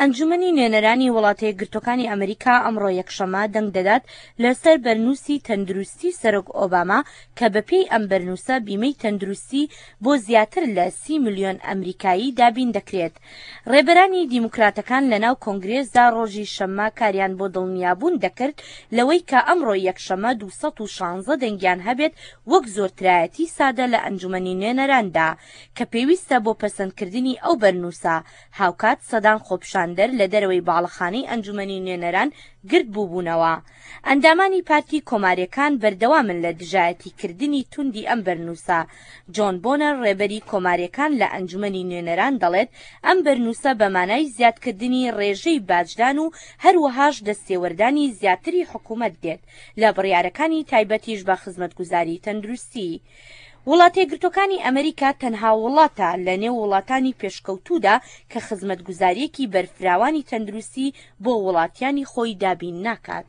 ئەنجومەنی نوێنەرانی وڵاتەیەکگرتووەکانی ئەمریکا ئەمڕۆ یەکشەممە دەنگ دەدات لەسەر بەرنووسی تەندروستی سەرۆک ئۆباما کە بەپێی ئەم بەرنووسە بیمەی تەندروستی بۆ زیاتر لە 30 ملیۆن ئەمریکایی دابین دەکرێت. ڕێبەرانی دیموکراتەکان لەناو کۆنگرێسدا ڕۆژی شەممە کاریان بۆ دڵنیابوون دەکرد لەوەی کە ئەمڕۆ یەکشەممە 216 دەنگیان هەبێت وەک زۆرترایەتی سادە لە ئەنجومەنی نوێنەراندا کە پێویستە بۆ پەسەندکردنی ئەو بەرنووسە. هاوکات سەدان خۆپیشاندەر لە دەرەوەی باڵەخانەی ئەنجومەنی نوێنەران گرد بووبوونەوە. ئەندامانی پارتی کۆمارییەکان بەردەوامن لە دژایەتیکردنی توندی ئەم بەرنووسە. جۆن بۆنەر ڕێبەری کۆمارییەکان لە ئەنجومەنی نوێنەران دەڵێت ئەم بەرنووسە بە مانای زیادکردنی ڕێژەی باجدان و هەروەهاش دەستێوەردانی زیاتری حکومەت دێت لە بڕیارەکانی تایبەتیش بە خزمەتگوزاری تەندروستی. وڵاتەیەکگرتووەکانی ئەمریکا تەنها وڵاتە لە نێو وڵاتانی پێشکەوتوودا کە خزمەتگوزارییەکی بەرفراوانی تەندروستی بۆ وڵاتیانی خۆی دابین ناکات.